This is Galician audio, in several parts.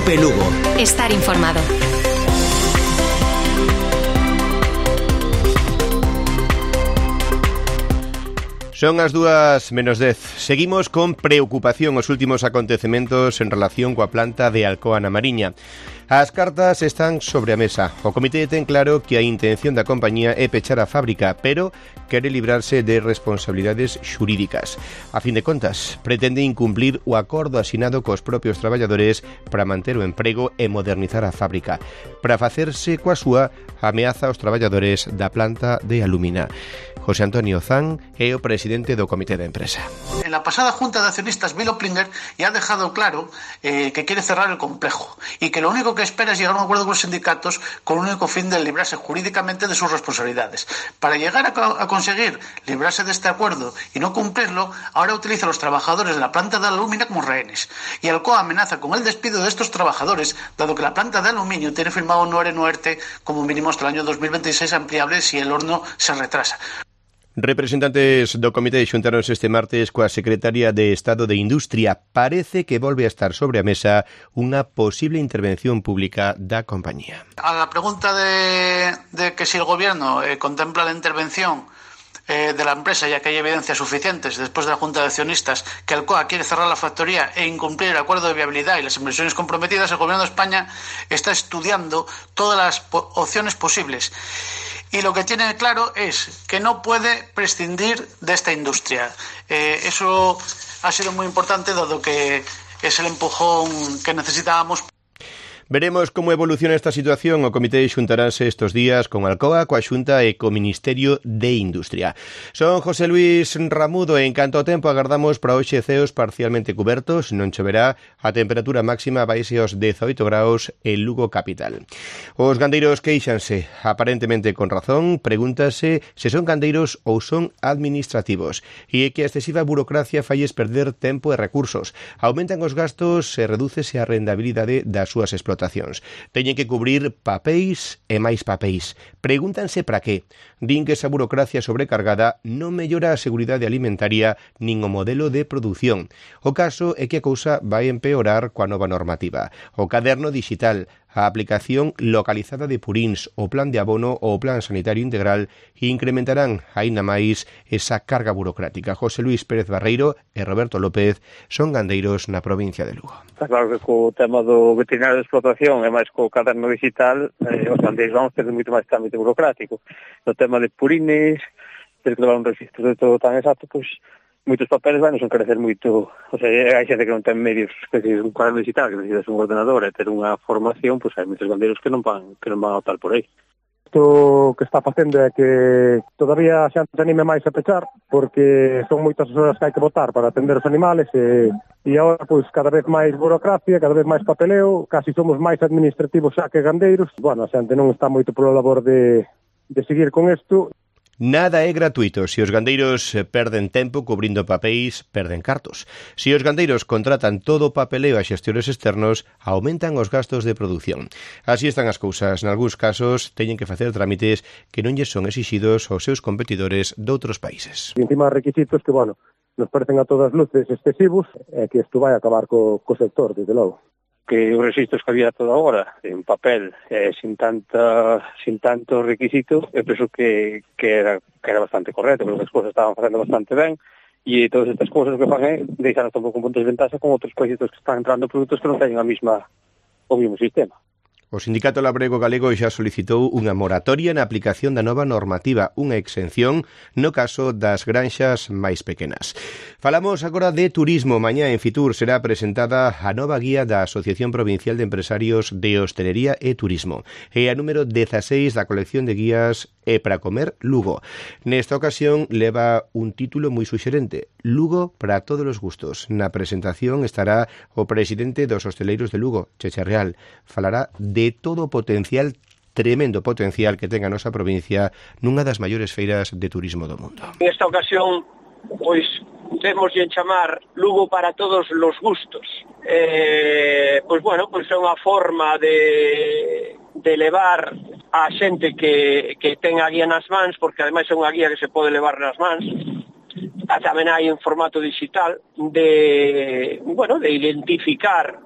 Cope Lugo. Estar informado. Son as 2:10. Seguimos con preocupación os últimos acontecementos en relación coa planta de Alcoa na Mariña. As cartas están sobre a mesa. O comité ten claro que a intención da compañía é pechar a fábrica, pero quere librarse de responsabilidades xurídicas. A fin de contas, pretende incumplir o acordo asinado cos propios traballadores para manter o emprego e modernizar a fábrica. Para facerse coa súa, ameaza aos traballadores da planta de Alumina. José Antonio Zan é o presidente do comité de empresa. En la pasada junta de accionistas, Bill Oplinger ya ha dejado claro que quiere cerrar el complejo y que lo único que espera es llegar a un acuerdo con los sindicatos con el único fin de librarse jurídicamente de sus responsabilidades. Para llegar a conseguir librarse de este acuerdo y no cumplirlo, ahora utiliza a los trabajadores de la planta de Alumina como rehenes. Y Alcoa amenaza con el despido de estos trabajadores, dado que la planta de aluminio tiene firmado un ERE como mínimo hasta el año 2026 ampliable si el horno se retrasa. Representantes do comité xuntáronse este martes coa secretaria de Estado de Industria. Parece que volve a estar sobre a mesa unha posible intervención pública da compañía. A la pregunta de que si el gobierno contempla la intervención de la empresa, ya que hay evidencias suficientes después de la Junta de Accionistas que Alcoa quiere cerrar la factoría e incumplir el acuerdo de viabilidad y las inversiones comprometidas, el gobierno de España está estudiando todas las opciones posibles. Y lo que tiene claro es que no puede prescindir de esta industria. Eso ha sido muy importante, dado que es el empujón que necesitábamos. Veremos como evoluciona esta situación. O comité xuntaránse estes días con Alcoa, coa Xunta e co Ministerio de Industria. Son José Luis Ramudo e en canto ao tempo agardamos para hoxe ceos parcialmente cubertos, non choverá, a temperatura máxima vaise aos 18 graus en Lugo capital. Os gandeiros queixanse, aparentemente con razón, pregúntase se son gandeiros ou son administrativos e que a excesiva burocracia falles perder tempo e recursos. Aumentan os gastos e redúcese a rendabilidade das súas explotacións. Teñen que cubrir papéis e máis papéis. Pregúntanse para qué. Din que esa burocracia sobrecargada non mellora a seguridade alimentaria nin o modelo de produción. O caso é que a cousa vai empeorar coa nova normativa. O caderno digital, a aplicación localizada de purins, o plan de abono ou o plan sanitario integral incrementarán aínda máis esa carga burocrática. José Luis Pérez Barreiro e Roberto López son gandeiros na provincia de Lugo. Está claro que co tema do veterinario de explotación e máis co caderno digital, os gandeiros vamos ter moito máis trámite burocrático. No tema de purines, ter que levar un registro de todo tan exacto, pois moitos papeles vai nos encarecer moito. O sea, hai xente que non ten medios, que se un cuaderno digital, que necesitas un ordenador e ter unha formación, pois hai moitos gandeiros que non van a optar por aí. Isto que está facendo é que todavía xa se anime máis a pechar, porque son moitas as horas que hai que botar para atender os animales e agora pois cada vez máis burocracia, cada vez máis papeleo, casi somos máis administrativos xa que gandeiros. Bueno, a xente non está moito polo labor de seguir con isto. Nada é gratuito. Se os gandeiros perden tempo cubrindo papéis, perden cartos. Se os gandeiros contratan todo o papeleo a xestores externos, aumentan os gastos de produción. Así están as cousas. Nalgúns casos, teñen que facer trámites que non lles son exixidos aos seus competidores doutros países. E encima requisitos que, bueno, nos parecen a todas luces excesivos e que isto vai acabar co sector, desde logo. Que os registros que había toda hora en papel, sin tanto requisito, eu penso que era bastante correcto, porque as cousas estaban facendo bastante ben, e todas estas cousas que fan deixan un pouco en puntos de ventaxa con outros países que están entrando produtos que non teñen o mesmo sistema. O Sindicato Labrego Galego xa solicitou unha moratoria na aplicación da nova normativa, unha exención no caso das granxas máis pequenas. Falamos agora de turismo. Mañá en Fitur será presentada a nova guía da Asociación Provincial de Empresarios de Hostelería e Turismo. É a número 16 da colección de guías E para comer Lugo. Nesta ocasión leva un título moi suxerente: Lugo para todos os gustos. Na presentación estará o presidente dos hosteleiros de Lugo, Cheche Real. Falará de todo o potencial, tremendo potencial que ten a nosa provincia nunha das maiores feiras de turismo do mundo. Nesta ocasión, pois, temos de chamar Lugo para todos os gustos. Pois, bueno, pois é unha forma de levar a xente que ten a guía nas mans, porque ademais é unha guía que se pode levar nas mans, tamén hai en formato digital de identificar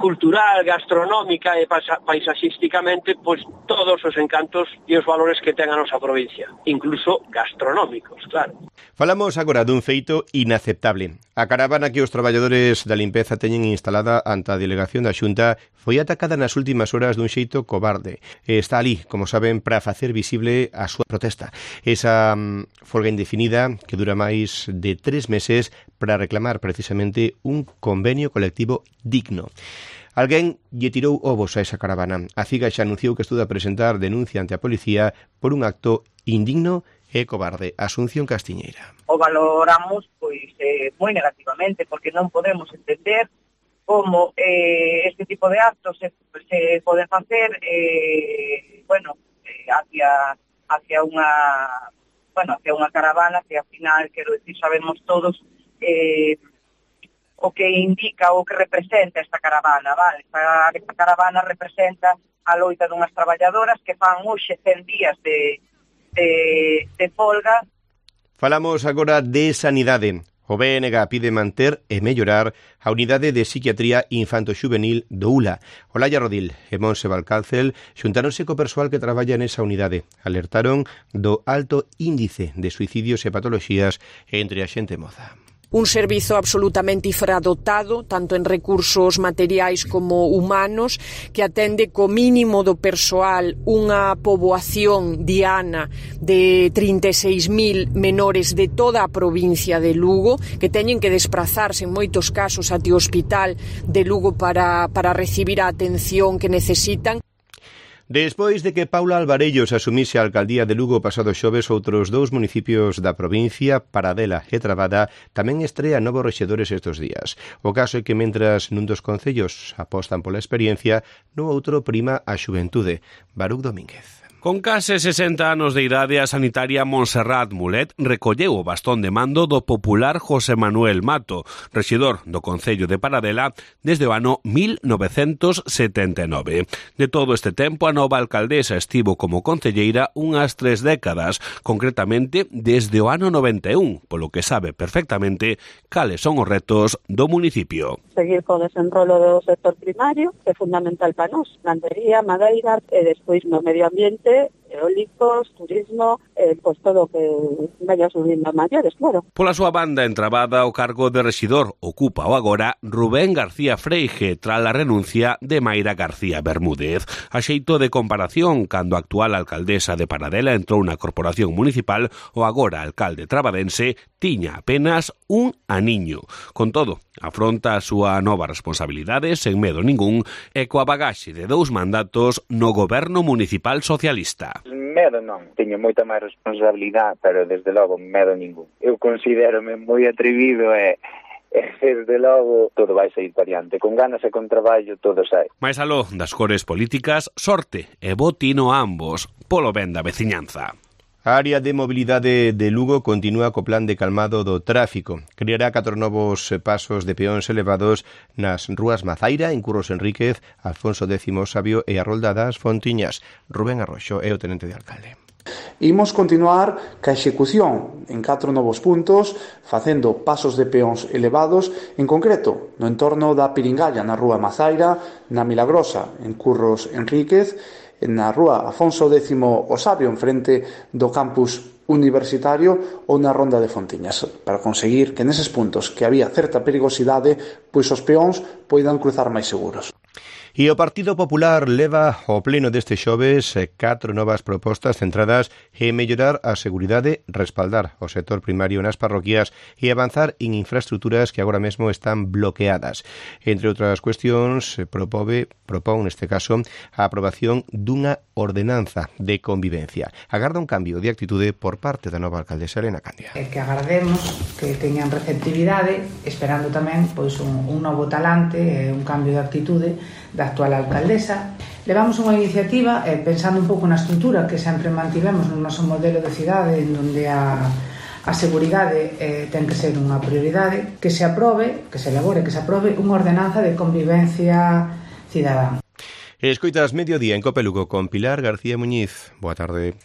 cultural, gastronómica e paisaxísticamente pois todos os encantos e os valores que ten a nosa provincia, incluso gastronómicos, claro. Falamos agora dun feito inaceptable. A caravana que os traballadores da limpeza teñen instalada ante a delegación da Xunta foi atacada nas últimas horas dun xeito cobarde. Está ali, como saben, para facer visible a súa protesta. Esa folga indefinida que dura máis de 3 meses para reclamar precisamente un convenio colectivo digno. Alguén lle tirou ovos a esa caravana. A CIGA xa anunciou que estuda a presentar denuncia ante a policía por un acto indigno e cobarde. Asunción Castiñeira. O valoramos moi negativamente, porque non podemos entender como este tipo de actos se poden facer hacia unha caravana que ao final, quero decir, sabemos todos o que indica, o que representa esta caravana, vale? Esta caravana representa a loita dunhas traballadoras que fan hoxe 100 días de folga. Falamos agora de sanidade. O BNG pide manter e mellorar a unidade de psiquiatría infanto-xuvenil do ULA. Olaya Rodil e Monse Valcárcel xuntáronse co persoal que traballa nesa unidade. Alertaron do alto índice de suicidios e patoloxías entre a xente moza. Un servizo absolutamente infradotado, tanto en recursos materiais como humanos, que atende co mínimo do persoal unha poboación diana de 36.000 menores de toda a provincia de Lugo, que teñen que desprazarse en moitos casos até o hospital de Lugo para recibir a atención que necesitan. Despois de que Paula Alvarellos asumise a alcaldía de Lugo pasado xoves, outros 2 municipios da provincia, Paradela e Trabada, tamén estrean novos rexedores estes días. O caso é que mentras nun dos concellos apostan pola experiencia, no outro prima a xuventude. Baruc Domínguez. Con case 60 anos de idade, a sanitaria Montserrat Mulet recolleu o bastón de mando do popular José Manuel Mato, rexedor do Concello de Paradela desde o ano 1979. De todo este tempo, a nova alcaldesa estivo como concelleira unhas 3 décadas, concretamente desde o ano 91, polo que sabe perfectamente cales son os retos do municipio. Seguir co desenrolo do sector primario, que é fundamental para nós, gandería, madeira e despois no medio ambiente, eólicos, turismo, pois todo o que vaya subindo a maiores, claro. Pola súa banda, en Trabada, o cargo de rexidor ocupa o agora Rubén García Freige tras a renuncia de Mayra García Bermúdez. A xeito de comparación, cando a actual alcaldesa de Paradela entrou na corporación municipal, o agora alcalde trabadense tiña apenas un aniño. Con todo, afronta a súa nova responsabilidade sen medo ningún e coa bagaxe de 2 mandatos no goberno municipal socialista. Medo non, teño moita máis responsabilidade, pero desde logo medo ningún. Eu considérome moi atrevido e desde logo todo vai sair variante. Con ganas e con traballo todo sai. Mais aló das cores políticas, sorte e bo tino a ambos polo ben da veciñanza. A área de mobilidade de Lugo continúa co plan de calmado do tráfico. Creará 4 novos pasos de peóns elevados nas rúas Mazaira, en Curros Enríquez, Alfonso X Sabio e a Rolda das Fontiñas. Rubén Arroxo é o tenente de alcalde. Imos continuar ca execución en 4 novos puntos, facendo pasos de peóns elevados, en concreto no entorno da Piringalla na rúa Mazaira, na Milagrosa, en Curros Enríquez, na rúa Afonso X o Sabio, en frente do campus universitario, ou na Ronda de Fontiñas, para conseguir que neses puntos que había certa perigosidade, pois os peóns poidan cruzar máis seguros. E o Partido Popular leva ao pleno deste xoves 4 novas propostas centradas en mellorar a seguridade, respaldar o sector primario nas parroquias e avanzar en infraestructuras que agora mesmo están bloqueadas. Entre outras cuestións, propón neste caso a aprobación dunha ordenanza de convivencia. Agarda un cambio de actitude por parte da nova alcaldesa Elena Candia. Que agardemos que teñan receptividade, esperando tamén pois un novo talante e un cambio de actitude da actual alcaldesa. Levamos unha iniciativa pensando un pouco na estrutura que sempre mantivemos no noso modelo de cidade, en donde a seguridade ten que ser unha prioridade, que se aprobe, que se elabore, que se aprobe unha ordenanza de convivencia cidadá. Escoitas Mediodía en Cope Lugo con Pilar García Muñiz. Boa tarde.